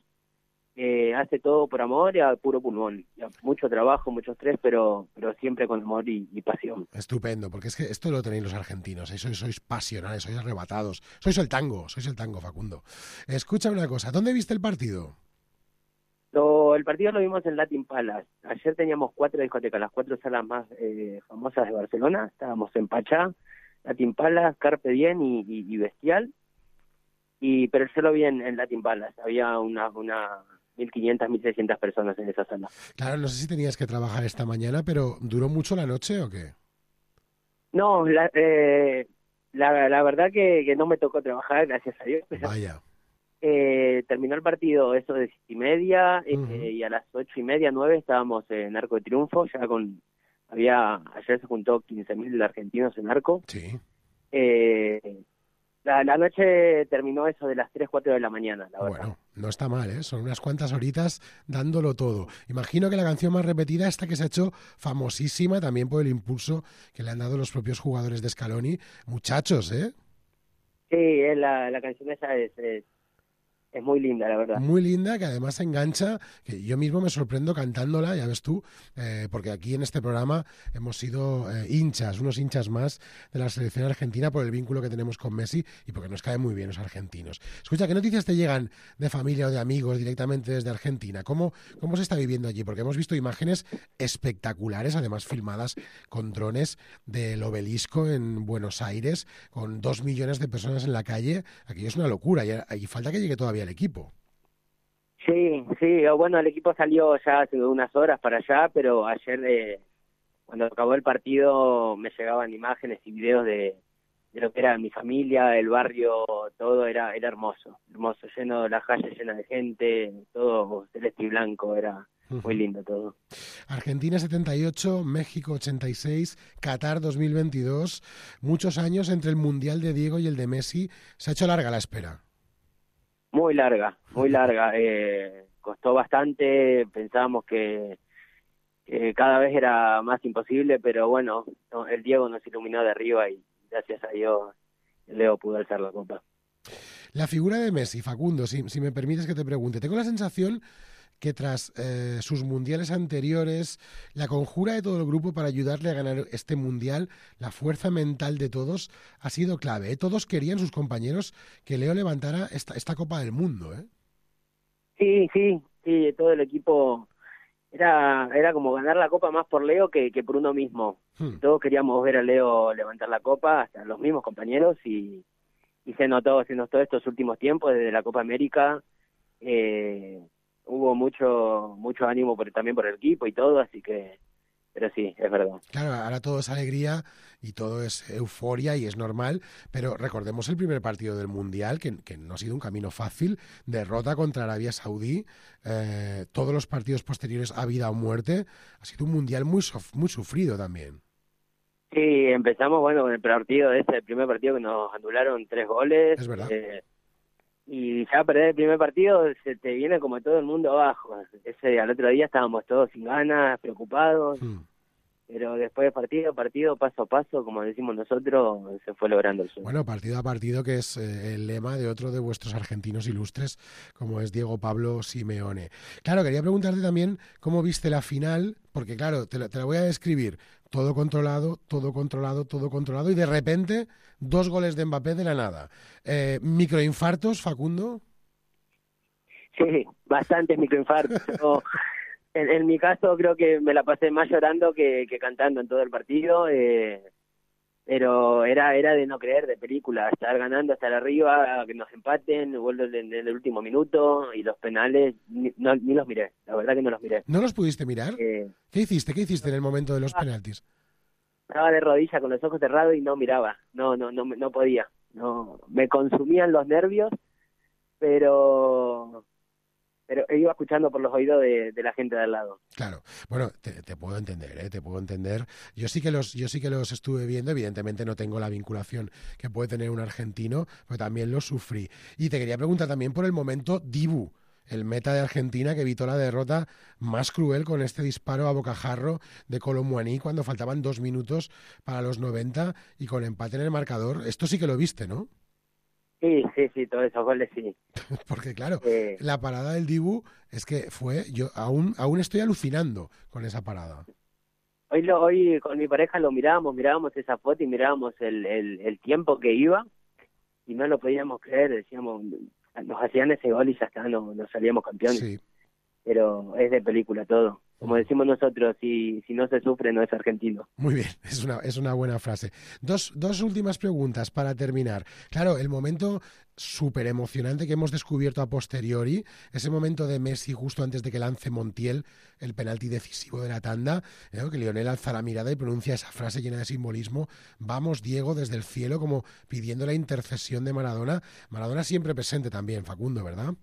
[SPEAKER 8] que hace todo por amor y a puro pulmón. Y a mucho trabajo, mucho estrés, pero pero siempre con amor y, y pasión.
[SPEAKER 3] Estupendo, porque es que esto lo tenéis los argentinos, ¿eh? sois, sois pasionales, sois arrebatados, sois el tango, sois el tango, Facundo. Escucha una cosa, ¿dónde viste el partido?
[SPEAKER 8] Lo, el partido lo vimos en Latin Palace. Ayer teníamos cuatro discotecas, las cuatro salas más eh, famosas de Barcelona. Estábamos en Pachá, Latin Palace, Carpe Diem y, y, y Bestial. Y pero yo lo vi en, en Latin Palace. Había una, una mil quinientas, mil seiscientas personas en esa sala.
[SPEAKER 3] Claro, no sé si tenías que trabajar esta mañana, pero ¿duró mucho la noche o qué?
[SPEAKER 8] No, la, eh, la, la verdad que, que no me tocó trabajar, gracias a Dios. Pero,
[SPEAKER 3] Vaya.
[SPEAKER 8] eh, terminó el partido eso de siete y media eh,
[SPEAKER 3] Ujú.
[SPEAKER 8] y a las ocho y media, nueve estábamos en Arco de Triunfo, ya con, había, ayer se juntó quince mil argentinos en Arco.
[SPEAKER 3] Sí.
[SPEAKER 8] Eh, la, la noche terminó eso de las tres, cuatro de la mañana, la verdad.
[SPEAKER 3] Bueno, no está mal, ¿eh? Son unas cuantas horitas dándolo todo. Imagino que la canción más repetida, esta que se ha hecho famosísima también por el impulso que le han dado los propios jugadores de Scaloni. Muchachos, ¿eh?
[SPEAKER 8] Sí, es la, la canción esa es, es, es muy linda, la verdad.
[SPEAKER 3] Muy linda, que además engancha, que yo mismo me sorprendo cantándola, ya ves tú, eh, porque aquí en este programa hemos sido eh, hinchas, unos hinchas más de la selección argentina por el vínculo que tenemos con Messi y porque nos caen muy bien los argentinos. Escucha, ¿qué noticias te llegan de familia o de amigos directamente desde Argentina? ¿Cómo, cómo se está viviendo allí? Porque hemos visto imágenes espectaculares, además filmadas con drones del Obelisco en Buenos Aires, con dos millones de personas en la calle. Aquello es una locura y, y falta que llegue todavía el equipo.
[SPEAKER 8] Sí, sí, bueno, el equipo salió ya hace unas horas para allá, pero ayer eh, cuando acabó el partido me llegaban imágenes y videos de, de lo que era mi familia, el barrio, todo era era hermoso, hermoso, lleno, las calles llenas de gente, todo celeste y blanco, era muy lindo todo.
[SPEAKER 3] Argentina setenta y ocho, México ochenta y seis, Qatar dos mil veintidós, muchos años entre el Mundial de Diego y el de Messi, se ha hecho larga la espera.
[SPEAKER 8] Muy larga, muy larga. Eh, costó bastante, pensábamos que, que cada vez era más imposible, pero bueno, no, el Diego nos iluminó de arriba y gracias a Dios Leo pudo alzar la copa.
[SPEAKER 3] La figura de Messi, Facundo, si, si me permites que te pregunte, tengo la sensación que tras eh, sus mundiales anteriores, la conjura de todo el grupo para ayudarle a ganar este mundial, la fuerza mental de todos ha sido clave, ¿eh? Todos querían, sus compañeros, que Leo levantara esta, esta Copa del Mundo, ¿eh?
[SPEAKER 8] Sí, sí, sí, todo el equipo era era como ganar la Copa más por Leo que, que por uno mismo. Hmm. Todos queríamos ver a Leo levantar la Copa, hasta los mismos compañeros, y, y se notó, se notó estos últimos tiempos, desde la Copa América, eh, hubo mucho mucho ánimo por, también por el equipo y todo, así que, pero sí, es verdad.
[SPEAKER 3] Claro, ahora todo es alegría y todo es euforia y es normal, pero recordemos el primer partido del Mundial, que, que no ha sido un camino fácil, derrota contra Arabia Saudí, eh, todos los partidos posteriores a vida o muerte, ha sido un Mundial muy, muy sufrido también.
[SPEAKER 8] Sí, empezamos, bueno, con el partido ese, el primer partido que nos anularon tres goles.
[SPEAKER 3] Es verdad.
[SPEAKER 8] Eh, y ya perder el primer partido se te viene como todo el mundo abajo. Ese al otro día estábamos todos sin ganas, preocupados, hmm. pero después de partido, partido, paso a paso, como decimos nosotros, se fue logrando el sueño.
[SPEAKER 3] Bueno, partido a partido, que es eh, el lema de otro de vuestros argentinos ilustres, como es Diego Pablo Simeone. Claro, quería preguntarte también cómo viste la final, porque claro, te la, te la voy a describir. Todo controlado, todo controlado, todo controlado, y de repente, dos goles de Mbappé de la nada. Eh, ¿Microinfartos, Facundo?
[SPEAKER 8] Sí, bastantes microinfartos. Yo, en, en mi caso, creo que me la pasé más llorando que, que cantando en todo el partido, eh, pero era era de no creer, de película, estar ganando, estar arriba, que nos empaten, vuelven en, en el último minuto, y los penales, ni, no, ni los miré, la verdad que no los miré.
[SPEAKER 3] ¿No los pudiste mirar?
[SPEAKER 8] Eh,
[SPEAKER 3] ¿Qué hiciste? ¿Qué hiciste en el momento de los penaltis?
[SPEAKER 8] Estaba de rodillas con los ojos cerrados y no miraba, no no no no podía, no me consumían los nervios, pero pero iba escuchando por los oídos de, de la gente de al lado.
[SPEAKER 3] Claro, bueno, te, te puedo entender, ¿eh? te puedo entender. Yo sí que los, yo sí que los estuve viendo, evidentemente no tengo la vinculación que puede tener un argentino, pero también lo sufrí. Y te quería preguntar también por el momento Dibu, el meta de Argentina que evitó la derrota más cruel con este disparo a bocajarro de Kolo Muani cuando faltaban dos minutos para los noventa y con empate en el marcador. Esto sí que lo viste, ¿no?
[SPEAKER 8] Sí, sí, sí, todos esos goles sí.
[SPEAKER 3] Porque claro,
[SPEAKER 8] eh,
[SPEAKER 3] la parada del Dibu es que fue, yo aún aún estoy alucinando con esa parada.
[SPEAKER 8] Hoy lo, hoy con mi pareja lo mirábamos, mirábamos esa foto y mirábamos el, el, el tiempo que iba y no lo podíamos creer, decíamos, nos hacían ese gol y ya está, no, nos salíamos campeones.
[SPEAKER 3] Sí.
[SPEAKER 8] Pero es de película todo. Como decimos nosotros, si, si no se sufre, no es argentino.
[SPEAKER 3] Muy bien, es una, es una buena frase. Dos, dos últimas preguntas para terminar. Claro, el momento súper emocionante que hemos descubierto a posteriori, ese momento de Messi justo antes de que lance Montiel el penalti decisivo de la tanda, ¿eh? Que Lionel alza la mirada y pronuncia esa frase llena de simbolismo, vamos Diego, desde el cielo, como pidiendo la intercesión de Maradona. Maradona siempre presente también, Facundo, ¿verdad?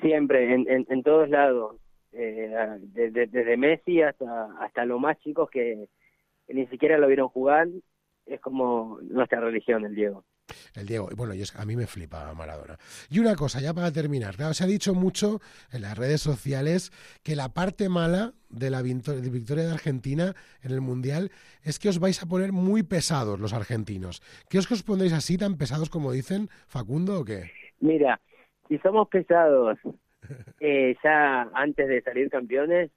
[SPEAKER 8] Siempre, en, en, en todos lados. Eh, desde, desde Messi hasta hasta los más chicos que, que ni siquiera lo vieron jugar, es como nuestra religión, el Diego.
[SPEAKER 3] El Diego, bueno, yo, a mí me flipa Maradona. Y una cosa, ya para terminar, claro, se ha dicho mucho en las redes sociales que la parte mala de la victoria de Argentina en el Mundial es que os vais a poner muy pesados los argentinos. ¿Qué os que os pondréis así, tan pesados como dicen, Facundo, o qué?
[SPEAKER 8] Mira, si somos pesados eh, ya antes de salir campeones,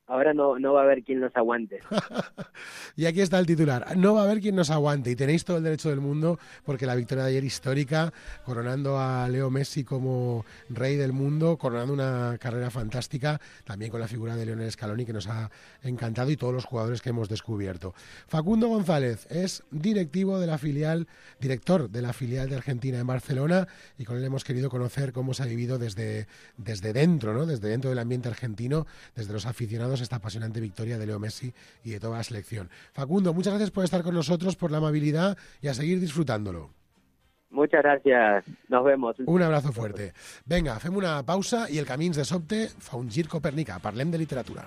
[SPEAKER 8] ahora no, no va a haber quien nos aguante.
[SPEAKER 3] Y aquí está el titular. No va a haber quien nos aguante. Y tenéis todo el derecho del mundo, porque la victoria de ayer histórica, coronando a Leo Messi como rey del mundo, coronando una carrera fantástica, también con la figura de Lionel Scaloni, que nos ha encantado, y todos los jugadores que hemos descubierto. Facundo González es directivo de la filial, director de la filial de Argentina en Barcelona, y con él hemos querido conocer cómo se ha vivido desde, desde dentro, ¿no? Desde dentro del ambiente argentino, desde los aficionados, esta apasionante victoria de Leo Messi y de toda la selección. Facundo, muchas gracias por estar con nosotros, por la amabilidad, y a seguir disfrutándolo.
[SPEAKER 8] Muchas gracias, nos vemos.
[SPEAKER 3] Un abrazo fuerte. Vinga, fem una pausa i el Camins de sobte fa un gir copernicà. Parlem de literatura.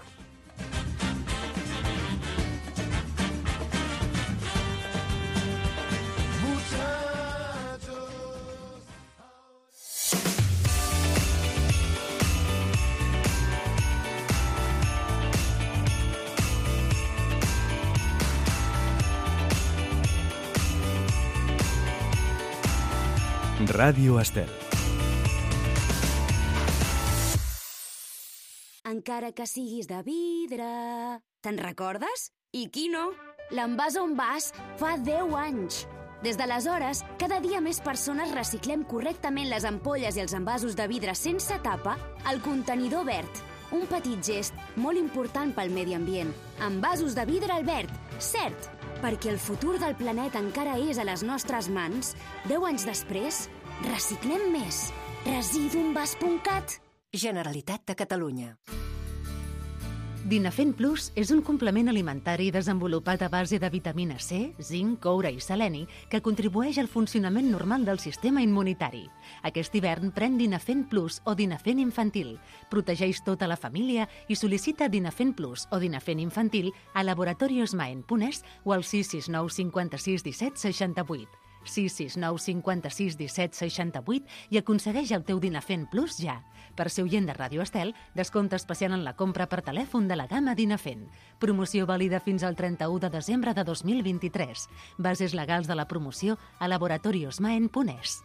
[SPEAKER 1] Ràdio Estel.
[SPEAKER 9] Encara que siguis de vidre... Te'n recordes? I qui no? L'Envàs on vas fa deu anys. Des d'aleshores, cada dia més persones reciclem correctament les ampolles i els envasos de vidre sense tapa al contenidor verd. Un petit gest molt important pel medi ambient. Envasos de vidre Albert, cert, perquè el futur del planeta encara és a les nostres mans. Deu anys després, reciclem més. Residuenvas punt cat.
[SPEAKER 10] Generalitat de Catalunya.
[SPEAKER 5] Dinafen Plus és un complement alimentari desenvolupat a base de vitamina C, zinc, coure i seleni que contribueix al funcionament normal del sistema immunitari. Aquest hivern pren Dinafen Plus o Dinafen Infantil. Protegeix tota la família i sol·licita Dinafen Plus o Dinafen Infantil a Laboratorios Maen punt es o al sis sis nou cinquanta-sis disset seixanta-vuit. sis sis nou cinquanta-sis disset seixanta-vuit i aconsegueix el teu Dinafen Plus ja. Per ser oient de Ràdio Estel, descompte especial en la compra per telèfon de la gamma Dinafen. Promoció vàlida fins al trenta-u de desembre de dos mil vint-i-tres. Bases legals de la promoció a laboratorios maen punt es.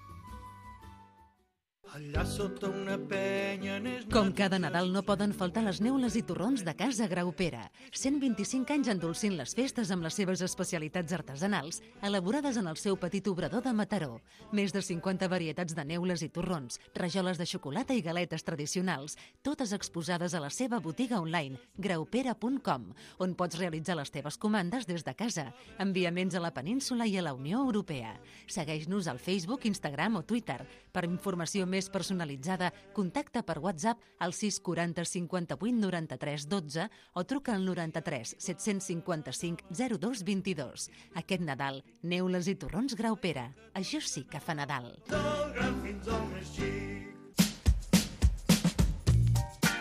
[SPEAKER 11] Allà sota una penya...
[SPEAKER 5] Com cada Nadal no poden faltar les neules i torrons de Casa Graupera. cent vint-i-cinc anys endolcint les festes amb les seves especialitats artesanals, elaborades en el seu petit obrador de Mataró. Més de cinquanta varietats de neules i torrons, rajoles de xocolata i galetes tradicionals, totes exposades a la seva botiga online, graupera punt com, on pots realitzar les teves comandes des de casa. Enviaments a la península i a la Unió Europea. Segueix-nos al Facebook, Instagram o Twitter. Per informació més personalitzada, contacta per WhatsApp al sis quaranta cinquanta-vuit noranta-tres dotze o truca al noranta-tres set-cents cinquanta-cinc zero dos vint-i-dos. Aquest Nadal, neules i torrons Graupera. Això sí que fa Nadal.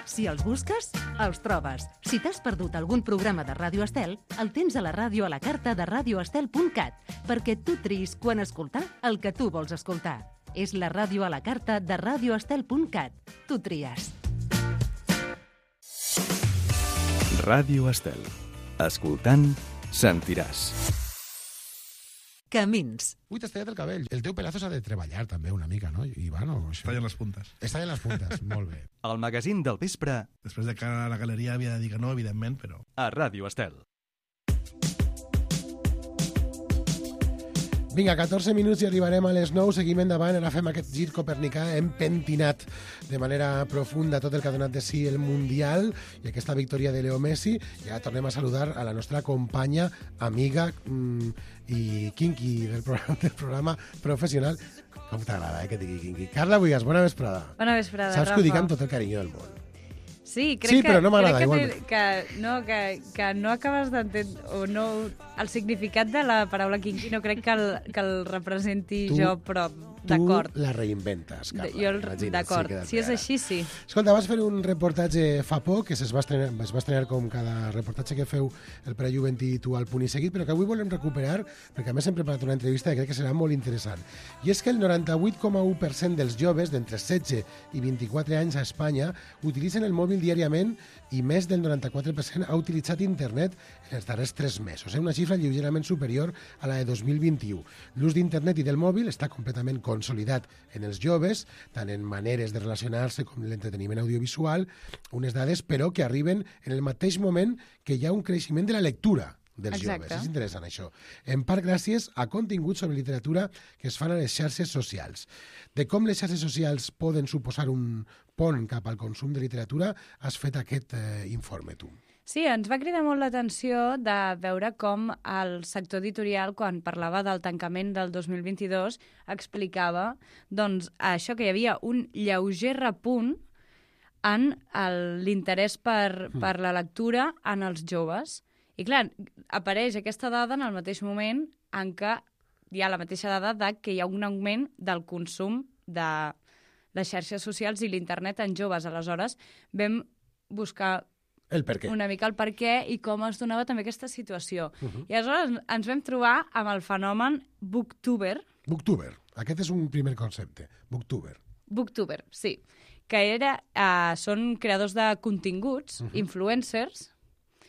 [SPEAKER 5] Si els busques, els trobes. Si t'has perdut algun programa de Ràdio Estel, el tens a la ràdio a la carta de radio estel punt cat, perquè tu triïs quan escoltar el que tu vols escoltar. És la ràdio a la carta de radio estel punt cat. Tu tries.
[SPEAKER 1] Ràdio Estel. Escoltant, sentiràs.
[SPEAKER 5] Camins.
[SPEAKER 3] Ui, t'has tallat el cabell. El teu pelazo s'ha de treballar també una mica, no, Ivan? O això?
[SPEAKER 2] Està en les puntes.
[SPEAKER 3] Està en les puntes, molt bé.
[SPEAKER 1] El magazín del vespre.
[SPEAKER 2] Després de que la galeria havia de dir que no, evidentment, però...
[SPEAKER 1] A Ràdio Estel.
[SPEAKER 3] Vinga, catorze minuts i arribarem a les nou. Seguim endavant, ara fem aquest gir copernicà. Hem pentinat de manera profunda tot el que ha donat de si el Mundial i aquesta victòria de Leo Messi. I ara tornem a saludar a la nostra companya, amiga mmm, i kinky del programa, del programa professional. Com t'agrada, eh, que digui kinky. Carla Buigas, bona vesprada.
[SPEAKER 12] Bona vesprada,
[SPEAKER 3] Saps
[SPEAKER 12] Rafa.
[SPEAKER 3] que ho dic amb tot el carinyo del món.
[SPEAKER 12] Sí, crec
[SPEAKER 3] sí,
[SPEAKER 12] que,
[SPEAKER 3] però no m'agrada,
[SPEAKER 12] crec que,
[SPEAKER 3] igualment.
[SPEAKER 12] que, no, que, que no acabes d'entendre, o no, el significat de la paraula kinky no crec que el, que el representi
[SPEAKER 3] tu,
[SPEAKER 12] jo, però d'acord.
[SPEAKER 3] Tu la reinventes, Carla.
[SPEAKER 12] Jo, d'acord,
[SPEAKER 3] sí,
[SPEAKER 12] si és així, sí.
[SPEAKER 3] Escolta, vas fer un reportatge fa poc, que es va estrenar, es va estrenar com cada reportatge que feu el Prejuvent i tu al Punt i Seguit, però que avui volem recuperar, perquè a més hem preparat una entrevista que crec que serà molt interessant. I és que el noranta-vuit coma u per cent dels joves d'entre setze i vint-i-quatre anys a Espanya utilitzen el mòbil diàriament i més del noranta-quatre per cent ha utilitzat internet en els darrers tres mesos, eh? Una xifra lleugerament superior a la de dos mil vint-i-u. L'ús d'internet i del mòbil està completament controlat consolidat en els joves, tant en maneres de relacionar-se com en l'entreteniment audiovisual, unes dades, però que arriben en el mateix moment que hi ha un creixement de la lectura dels
[SPEAKER 12] Exacte.
[SPEAKER 3] joves. És interessant això. En part gràcies a continguts sobre literatura que es fan a les xarxes socials. De com les xarxes socials poden suposar un pont cap al consum de literatura, has fet aquest eh, informe, tu.
[SPEAKER 12] Sí, ens va cridar molt l'atenció de veure com el sector editorial, quan parlava del tancament del dos mil vint-i-dos, explicava doncs, això que hi havia un lleuger repunt en l'interès per, per la lectura en els joves. I clar, apareix aquesta dada en el mateix moment en què hi ha la mateixa dada de que hi ha un augment del consum de les xarxes socials i l'internet en joves. Aleshores, vam buscar
[SPEAKER 3] el per què.
[SPEAKER 12] una mica el per què i com es donava també aquesta situació.
[SPEAKER 3] Uh -huh.
[SPEAKER 12] I aleshores ens vam trobar amb el fenomen booktuber.
[SPEAKER 3] Booktuber. Aquest és un primer concepte. Booktuber.
[SPEAKER 12] Booktuber, sí. Que era, eh, són creadors de continguts, uh -huh. influencers,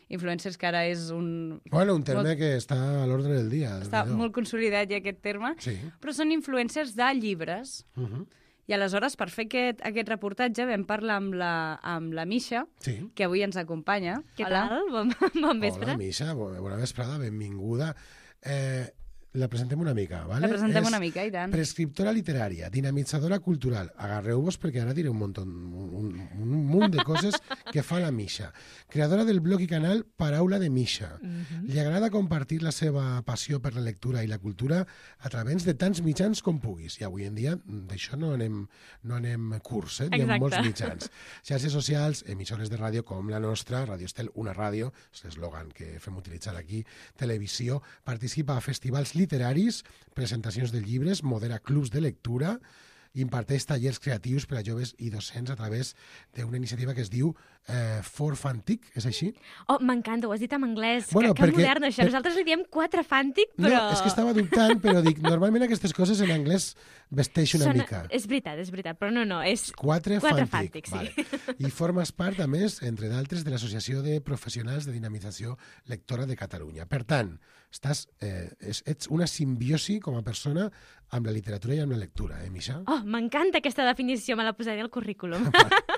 [SPEAKER 12] influencers que ara és un...
[SPEAKER 3] Bueno, un terme
[SPEAKER 12] molt,
[SPEAKER 3] que està a l'ordre del dia.
[SPEAKER 12] Està molt consolidat ja aquest terme,
[SPEAKER 3] sí.
[SPEAKER 12] Però són influencers de llibres.
[SPEAKER 3] Uh -huh.
[SPEAKER 12] I aleshores, per fer aquest, aquest reportatge, vam parlar amb la, amb la Misha,
[SPEAKER 3] sí.
[SPEAKER 12] que avui ens acompanya.
[SPEAKER 13] Què
[SPEAKER 12] Hola.
[SPEAKER 13] tal? Bon, bon vespre.
[SPEAKER 3] Hola, Misha, bona vesprada, benvinguda. Eh, la presentem una mica, ¿vale?
[SPEAKER 12] La presentem
[SPEAKER 3] és
[SPEAKER 12] una mica, i tant.
[SPEAKER 3] Prescriptora literària, dinamitzadora cultural. Agarreu-vos perquè ara diré un munt, un, un munt de coses que fa la Misha. Creadora del blog i canal Paraula de Misha. Uh-huh. Li agrada compartir la seva passió per la lectura i la cultura a través de tants mitjans com puguis. I avui en dia d'això no anem, no anem curs, eh? Hi ha molts mitjans. Xarxes socials, emissores de ràdio com la nostra, Radio Estel, una ràdio, és l'eslògan que fem utilitzar aquí, televisió, participa a festivals literaris, presentacions de llibres, modera clubs de lectura, imparteix tallers creatius per a joves i docents a través d'una iniciativa que es diu eh, For Fantic, és així?
[SPEAKER 13] Oh, m'encanta, ho has dit en anglès.
[SPEAKER 3] Bueno,
[SPEAKER 13] que, que
[SPEAKER 3] perquè,
[SPEAKER 13] modern, això.
[SPEAKER 3] Per...
[SPEAKER 13] Nosaltres li diem quatre Fantic, però...
[SPEAKER 3] No, és que estava dubtant, però dic, normalment aquestes coses en anglès vesteix una
[SPEAKER 13] Sona...
[SPEAKER 3] mica.
[SPEAKER 13] És veritat, és veritat, però no, no, és...
[SPEAKER 3] Quatre,
[SPEAKER 13] quatre
[SPEAKER 3] Fantic,
[SPEAKER 13] Fantic, sí.
[SPEAKER 3] Vale. I formes part, a més, entre d'altres, de l'Associació de Professionals de Dinamització Lectora de Catalunya. Per tant, estàs, eh, ets una simbiosi com a persona amb la literatura i amb la lectura, eh, Misha?
[SPEAKER 13] Oh, m'encanta aquesta definició, me la posaré al currículum.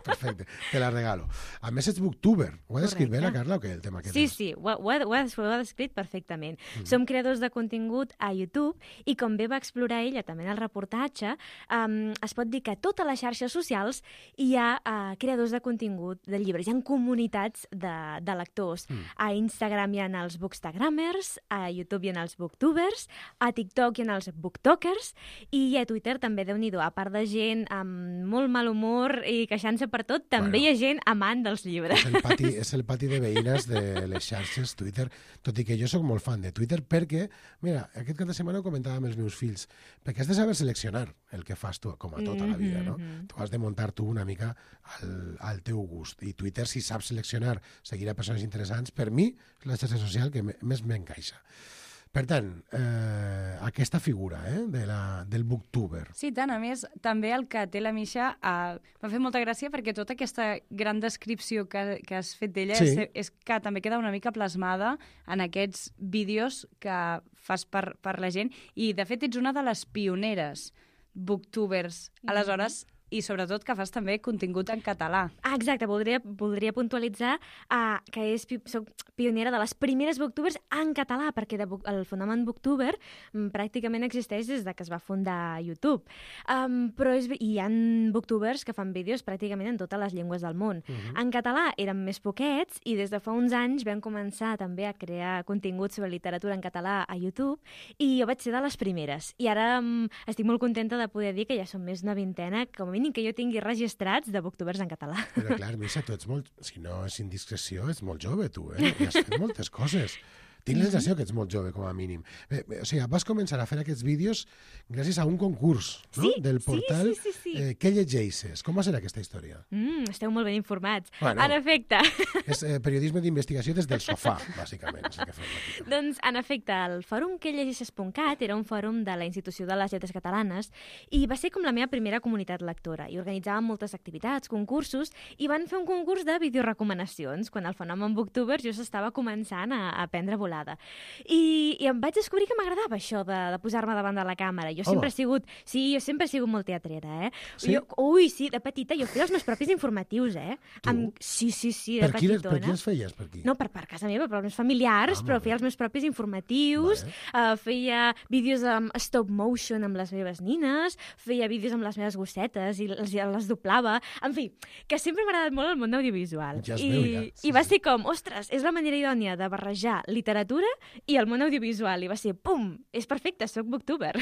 [SPEAKER 3] Perfecte, te la regalo. A més, ets booktuber. Ho ha descrit bé la Carla o què, el tema aquest?
[SPEAKER 13] Sí, sí, ho, ho, ha, ho, ha, ho ha descrit perfectament. Mm. Som creadors de contingut a YouTube i com bé va explorar ella també en el reportatge, um, es pot dir que a totes les xarxes socials hi ha uh, creadors de contingut de llibres, hi ha comunitats de, de lectors. Mm. A Instagram hi ha els bookstagrammers, a YouTube hi ha els booktubers, a TikTok hi ha els booktokers i a Twitter també, Déu-n'hi-do, a part de gent amb molt mal humor i queixant-se per tot, també bueno, hi ha gent amant dels llibres.
[SPEAKER 3] És el pati, és el pati de veïnes de les xarxes Twitter, tot i que jo sóc molt fan de Twitter perquè, mira, aquest cap de setmana ho comentava amb els meus fills, perquè has de saber seleccionar el que fas tu, com a tota la vida, no? Mm-hmm. Tu has de muntar tu una mica al, al teu gust. I Twitter, si saps seleccionar, seguir a persones interessants, per mi és la xarxa social que més m'encaixa. Per tant, eh, aquesta figura eh, de la, del booktuber.
[SPEAKER 12] Sí, tant. A més, també el que té la Misha eh, m'ha fet molta gràcia perquè tota aquesta gran descripció que, que has fet d'ella sí. és, és que també queda una mica plasmada en aquests vídeos que fas per, per la gent. I, de fet, ets una de les pioneres booktubers. Mm. Aleshores, i sobretot que fas també contingut en català.
[SPEAKER 13] Ah, exacte, voldria, voldria puntualitzar uh, que és, soc pionera de les primeres booktubers en català, perquè de, el fenomen booktuber um, pràcticament existeix des de que es va fundar YouTube. Um, però és, hi ha booktubers que fan vídeos pràcticament en totes les llengües del món. Uh-huh. En català eren més poquets i des de fa uns anys vam començar també a crear contingut sobre literatura en català a YouTube i jo vaig ser de les primeres. I ara um, estic molt contenta de poder dir que ja som més d'una vintena, com a mínim que jo tingui registrats de booktubers en català.
[SPEAKER 3] Però clar, Misha, tu ets molt... Si no és indiscreció, ets molt jove, tu, eh? I has fet moltes coses. Tinc la sensació que ets molt jove, com a mínim. Bé, bé, o sigui, vas començar a fer aquests vídeos gràcies a un concurs, no?
[SPEAKER 13] Sí,
[SPEAKER 3] del portal
[SPEAKER 13] sí, sí, sí, sí.
[SPEAKER 3] Eh, Què llegeixes? Com va ser aquesta història?
[SPEAKER 13] Mm, esteu molt ben informats.
[SPEAKER 3] Bueno,
[SPEAKER 13] en efecte...
[SPEAKER 3] És eh, periodisme d'investigació des del sofà, bàsicament. És el que fem aquí.
[SPEAKER 13] Doncs, en efecte, el fòrum que llegeixes punt cat era un fòrum de la Institució de les Lletres Catalanes i va ser com la meva primera comunitat lectora. I organitzàvem moltes activitats, concursos, i van fer un concurs de videorecomanacions, quan el fenomen booktuber just estava començant a, a prendre volant. volada. I, i em vaig descobrir que m'agradava això de, de posar-me davant de la càmera. Jo sempre
[SPEAKER 3] Home.
[SPEAKER 13] he sigut... Sí, jo sempre he sigut molt teatrera, eh?
[SPEAKER 3] Sí?
[SPEAKER 13] Jo, ui, sí, de petita jo feia els meus propis informatius, eh?
[SPEAKER 3] Tu?
[SPEAKER 13] Amb, sí, sí, sí, de
[SPEAKER 3] Per qui, les,
[SPEAKER 13] petitona.
[SPEAKER 3] per qui els feies? Per qui?
[SPEAKER 13] No, per, per casa meva, per als meus familiars,
[SPEAKER 3] Ah,
[SPEAKER 13] però
[SPEAKER 3] molt bé.
[SPEAKER 13] feia els meus propis informatius, vale. uh, feia vídeos amb stop motion amb les meves nines, feia vídeos amb les meves gossetes i les, les doblava. En fi, que sempre m'ha agradat molt el món audiovisual.
[SPEAKER 3] Ja es
[SPEAKER 13] I,
[SPEAKER 3] veu, ja. Sí,
[SPEAKER 13] I va ser com, ostres, és la manera idònia de barrejar literatura i el món audiovisual. I va ser, pum, és perfecte, soc booktuber.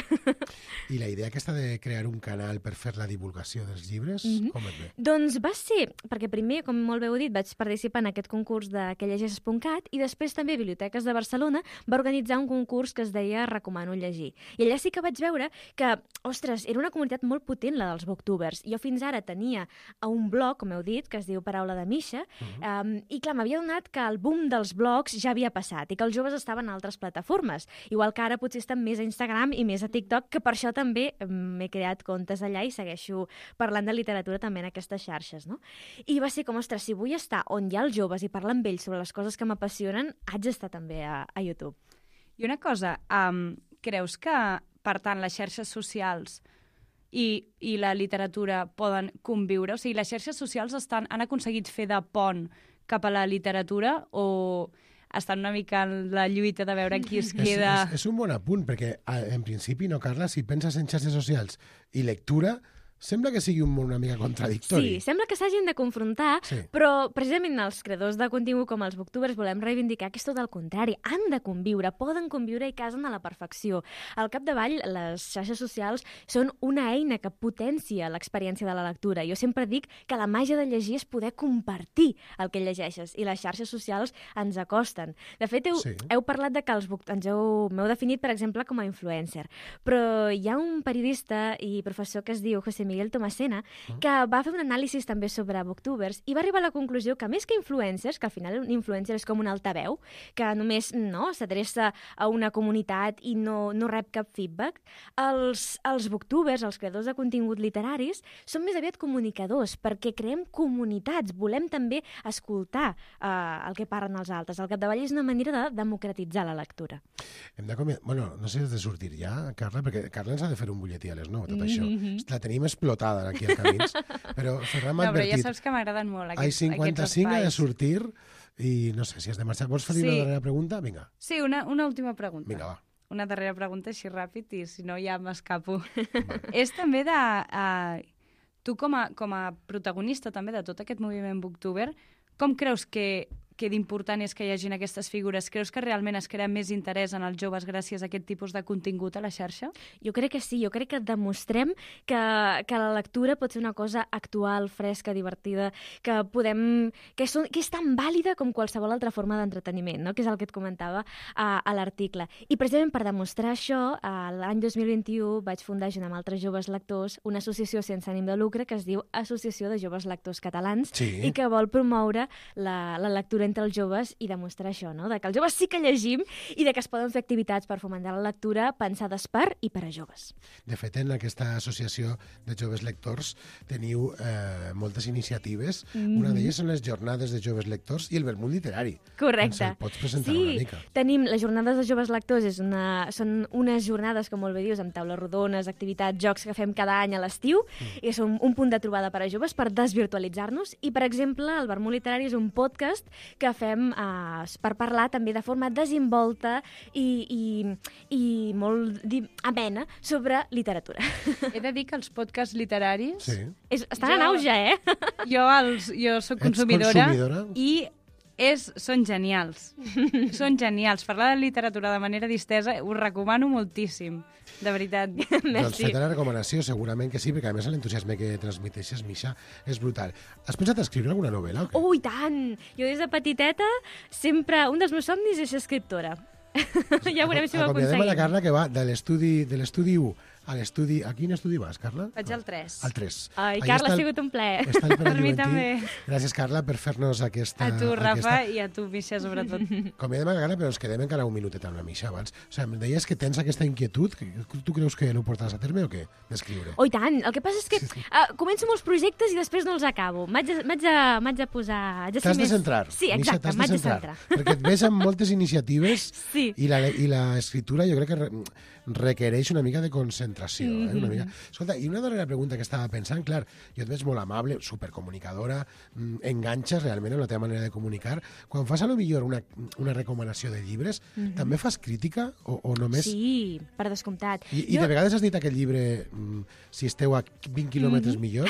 [SPEAKER 3] I la idea aquesta de crear un canal per fer la divulgació dels llibres,
[SPEAKER 13] Mhm.
[SPEAKER 3] com et ve?
[SPEAKER 13] Doncs va ser, perquè primer, com molt bé heu dit, vaig participar en aquest concurs de Que llegeixes punt cat i després també Biblioteques de Barcelona va organitzar un concurs que es deia Recomano llegir. I allà sí que vaig veure que, ostres, era una comunitat molt potent la dels booktubers. Jo fins ara tenia un blog, com heu dit, que es diu Paraula de Misha, uh-huh. um, i clar, m'havia donat que el boom dels blogs ja havia passat i que els joves estaven a altres plataformes. Igual que ara potser estan més a Instagram i més a TikTok, que per això també m'he creat comptes allà i segueixo parlant de literatura també en aquestes xarxes, no? I va ser com, ostres, si vull estar on hi ha els joves i parlar amb ells sobre les coses que m'apassionen, haig d'estar també a, a YouTube.
[SPEAKER 12] I una cosa, um, creus que, per tant, les xarxes socials i, i la literatura poden conviure? O sigui, les xarxes socials estan, han aconseguit fer de pont cap a la literatura o estan una mica en la lluita de veure qui es queda...
[SPEAKER 3] És, és, és un bon apunt, perquè en principi, no, Carla, si penses en xarxes socials i lectura, sembla que sigui un món una mica contradictori.
[SPEAKER 13] Sí, sembla que s'hagin de confrontar,
[SPEAKER 3] sí.
[SPEAKER 13] Però precisament els creadors de contingut com els booktubers volem reivindicar que és tot el contrari. Han de conviure, poden conviure i casen a la perfecció. Al capdavall, les xarxes socials són una eina que potencia l'experiència de la lectura. Jo sempre dic que la màgia de llegir és poder compartir el que llegeixes i les xarxes socials ens acosten. De fet, heu, sí. heu parlat de que els book... ens heu, m'heu definit, per exemple, com a influencer, però hi ha un periodista i professor que es diu José Miguel Tomasena, que va fer un anàlisi també sobre booktubers i va arribar a la conclusió que més que influencers, que al final un influencer és com un altaveu, que només no s'adreça a una comunitat i no, no rep cap feedback, els, els booktubers, els creadors de contingut literaris, són més aviat comunicadors, perquè creem comunitats, volem també escoltar uh, el que parlen els altres. Al capdavall és una manera de democratitzar la lectura.
[SPEAKER 3] Hem de comi... Bueno, no sé si has de sortir ja, Carla, perquè Carla ens ha de fer un butlletí a les nou, tot mm-hmm. això. La tenim explotada aquí al Camins, però Ferran m'ha
[SPEAKER 12] no, però
[SPEAKER 3] advertit...
[SPEAKER 12] ja saps que m'agraden molt aquests,
[SPEAKER 3] Ai, cinquanta-cinc
[SPEAKER 12] aquests
[SPEAKER 3] ha de
[SPEAKER 12] espais.
[SPEAKER 3] sortir i no sé si has de marxar. Vols fer sí. una darrera pregunta? Vinga.
[SPEAKER 12] Sí, una, una última pregunta.
[SPEAKER 3] Vinga, va.
[SPEAKER 12] Una darrera pregunta així ràpid i si no ja m'escapo. És també de... Uh, tu com a, com a protagonista també de tot aquest moviment booktuber, com creus que, que d'important és que hi hagin aquestes figures? Creus que realment es crea més interès en els joves gràcies a aquest tipus de contingut a la xarxa?
[SPEAKER 13] Jo crec que sí, jo crec que demostrem que, que la lectura pot ser una cosa actual, fresca, divertida, que podem... que, són, que és tan vàlida com qualsevol altra forma d'entreteniment, no? Que és el que et comentava a, a l'article. I precisament per demostrar això, l'any dos mil vint-i-u vaig fundar junt amb altres joves lectors una associació sense ànim de lucre que es diu Associació de Joves Lectors Catalans
[SPEAKER 3] sí.
[SPEAKER 13] i que vol promoure la, la lectura entre els joves i demostrar això, no? De que els joves sí que llegim i de que es poden fer activitats per fomentar la lectura pensades per i per a joves.
[SPEAKER 3] De fet, en aquesta associació de joves lectors teniu eh, moltes iniciatives. Mm. Una d'elles són les jornades de joves lectors i el vermut literari.
[SPEAKER 13] Correcte.
[SPEAKER 3] Ens el pots presentar
[SPEAKER 13] sí,
[SPEAKER 3] una mica?
[SPEAKER 13] Tenim les jornades de joves lectors, és una, són unes jornades, com molt bé dius, amb taules rodones, activitats, jocs que fem cada any a l'estiu, mm. i són un punt de trobada per a joves per desvirtualitzar-nos. I, per exemple, el vermut literari és un podcast que fem uh, per parlar també de forma desinvolta i, i, i molt di, amena sobre literatura.
[SPEAKER 12] He de dir que els podcasts literaris...
[SPEAKER 3] Sí.
[SPEAKER 13] És, estan jo, en auge, eh?
[SPEAKER 12] Jo, els, jo soc consumidora, consumidora i és, són genials. Són genials. Parlar de literatura de manera distesa ho recomano moltíssim. De veritat.
[SPEAKER 3] Doncs feta la recomanació, segurament que sí, perquè a més l'entusiasme que transmeteixes, Misha, és brutal. Has pensat escriure alguna novel·la?
[SPEAKER 13] Oh, i tant! Jo des de petiteta sempre... Un dels meus somnis és ser escriptora. Ja veurem si ho aconseguim.
[SPEAKER 3] Acomiadem a la Carla, que va de l'estudi de l'estudi u a l'estudi... A quin estudi vas, Carla?
[SPEAKER 12] Vaig al tres.
[SPEAKER 3] Al tres.
[SPEAKER 13] Ai,
[SPEAKER 3] Allà
[SPEAKER 13] Carla,
[SPEAKER 3] està
[SPEAKER 13] ha
[SPEAKER 3] el-
[SPEAKER 13] sigut un plaer.
[SPEAKER 3] Està el Pere
[SPEAKER 12] Per mi
[SPEAKER 3] Juventí.
[SPEAKER 12] també.
[SPEAKER 3] Gràcies, Carla, per fer-nos aquesta...
[SPEAKER 12] A tu, Rafa,
[SPEAKER 3] aquesta...
[SPEAKER 12] i a tu, Misha, sobretot.
[SPEAKER 3] Convidem a Carla, però ens quedem encara un minutet amb la Misha abans. O sigui, em deies que tens aquesta inquietud. Que tu creus que no ho portaràs a terme o què? D'escriure.
[SPEAKER 13] Oh, i tant. El que passa és que uh, començo molts projectes i després no els acabo. M'haig de, m'haig de, m'haig de posar... haig de ser
[SPEAKER 3] T'has de
[SPEAKER 13] més-
[SPEAKER 3] centrar.
[SPEAKER 13] Sí,
[SPEAKER 3] Misha,
[SPEAKER 13] exacte,
[SPEAKER 3] t'has de
[SPEAKER 13] m'haig de
[SPEAKER 3] centrar.
[SPEAKER 13] centrar.
[SPEAKER 3] Perquè et veig amb moltes iniciatives
[SPEAKER 13] Sí.
[SPEAKER 3] i la, i l'escriptura jo crec que re, requereix una mica de concentració. Eh? Una mica. Escolta, i una darrera pregunta que estava pensant, clar, jo et veig molt amable, supercomunicadora, mm, enganxes realment en la teva manera de comunicar. Quan fas a lo millor una, una recomanació de llibres,
[SPEAKER 13] Mhm.
[SPEAKER 3] també fas crítica o, o només...
[SPEAKER 13] Sí, per descomptat.
[SPEAKER 3] I, i
[SPEAKER 13] Jo-
[SPEAKER 3] de vegades has dit aquest llibre, mm, si esteu a vint quilòmetres
[SPEAKER 13] Mhm.
[SPEAKER 3] millor?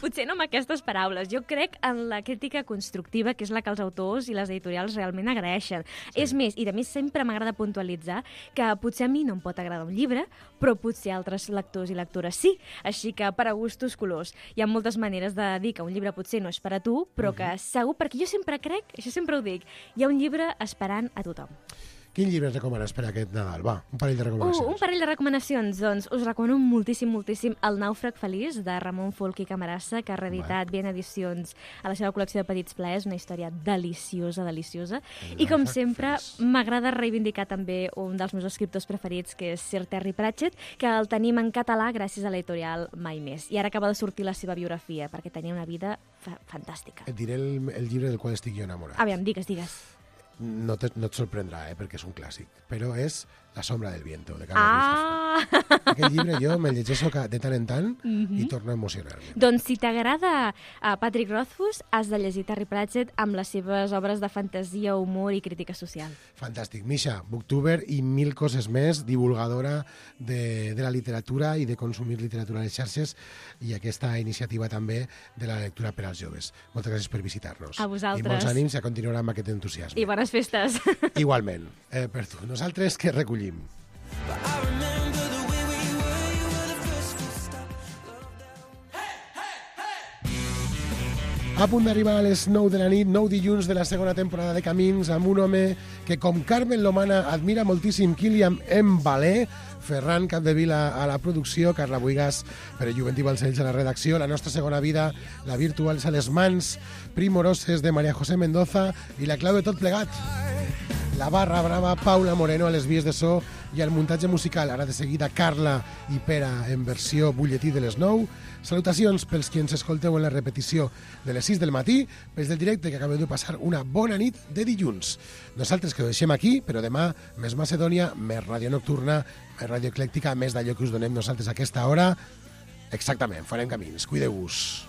[SPEAKER 13] Potser no amb aquestes paraules. Jo crec en la crítica constructiva, que és la que els autors i les editorials realment agraeixen. Sí. És més, i a mi sempre m'agrada puntualitzar que potser a mi no em pot agradar un llibre, però potser altres lectors i lectores sí. Així que per a gustos colors. Hi ha moltes maneres de dir que un llibre potser no és per a tu, però que segur, perquè jo sempre crec, això sempre ho dic, hi ha un llibre esperant a tothom.
[SPEAKER 3] Quin llibre ens recomanes per aquest Nadal? Va, un parell de
[SPEAKER 13] Uh,
[SPEAKER 3] recomanacions.
[SPEAKER 13] un parell de recomanacions. Doncs us recomano moltíssim, moltíssim El nàufrag feliç, de Ramon Folch i Camarasa, que ha reeditat Bien Edicions a la seva col·lecció de Petits Plaers, una història deliciosa, deliciosa. I com sempre, m'agrada reivindicar també un dels meus escriptors preferits, que és Sir Terry Pratchett, que el tenim en català gràcies a l'editorial Mai Més. I ara acaba de sortir la seva biografia, perquè tenia una vida fa fantàstica.
[SPEAKER 3] Et diré el, el llibre del qual estic jo enamorat.
[SPEAKER 13] Aviam, digues, digues.
[SPEAKER 3] No, te, no et sorprendrà, eh, perquè és un clàssic, però és La sombra del viento, de Carlos
[SPEAKER 13] Ah!
[SPEAKER 3] Ruiz Zafón. Aquest llibre jo me'l llegeixo ca- de tant en tant
[SPEAKER 13] Mhm.
[SPEAKER 3] i torno a emocionar-me.
[SPEAKER 13] Doncs si t'agrada uh, Patrick Rothfuss, has de llegir Terry Pratchett amb les seves obres de fantasia, humor i crítica social.
[SPEAKER 3] Fantàstic. Misha, booktuber i mil coses més, divulgadora de, de la literatura i de consumir literatura a les xarxes i aquesta iniciativa també de la lectura per als joves. Moltes gràcies per visitar-nos.
[SPEAKER 13] A vosaltres.
[SPEAKER 3] I molts ànims a continuar amb aquest entusiasme.
[SPEAKER 13] I bones festes.
[SPEAKER 3] Igualment, eh, per tu. Nosaltres que recollim. A punt d'arribar a les nou de la nit, nou dilluns de la segona temporada de Camins, amb un home que, com Carmen Lomana, admira moltíssim Kilian Mbalé, Ferran Capdevila a la producció, Carla Buigas, Pere Juventí Balcells a la redacció, la nostra segona vida, la Virtuals a les mans, Primoroses de María José Mendoza i la clau de tot plegat. La barra brava, Paula Moreno a les vies de so i al muntatge musical. Ara de seguida Carla i Pere en versió butlletí de les nou. Salutacions pels qui ens escolteu en la repetició de les sis del matí, pels del directe que acabeu de passar una bona nit de dilluns. Nosaltres que ho deixem aquí, però demà més Macedònia, més ràdio nocturna, més ràdio eclèctica, més d'allò que us donem nosaltres a aquesta hora. Exactament, farem camins. Cuideu-vos.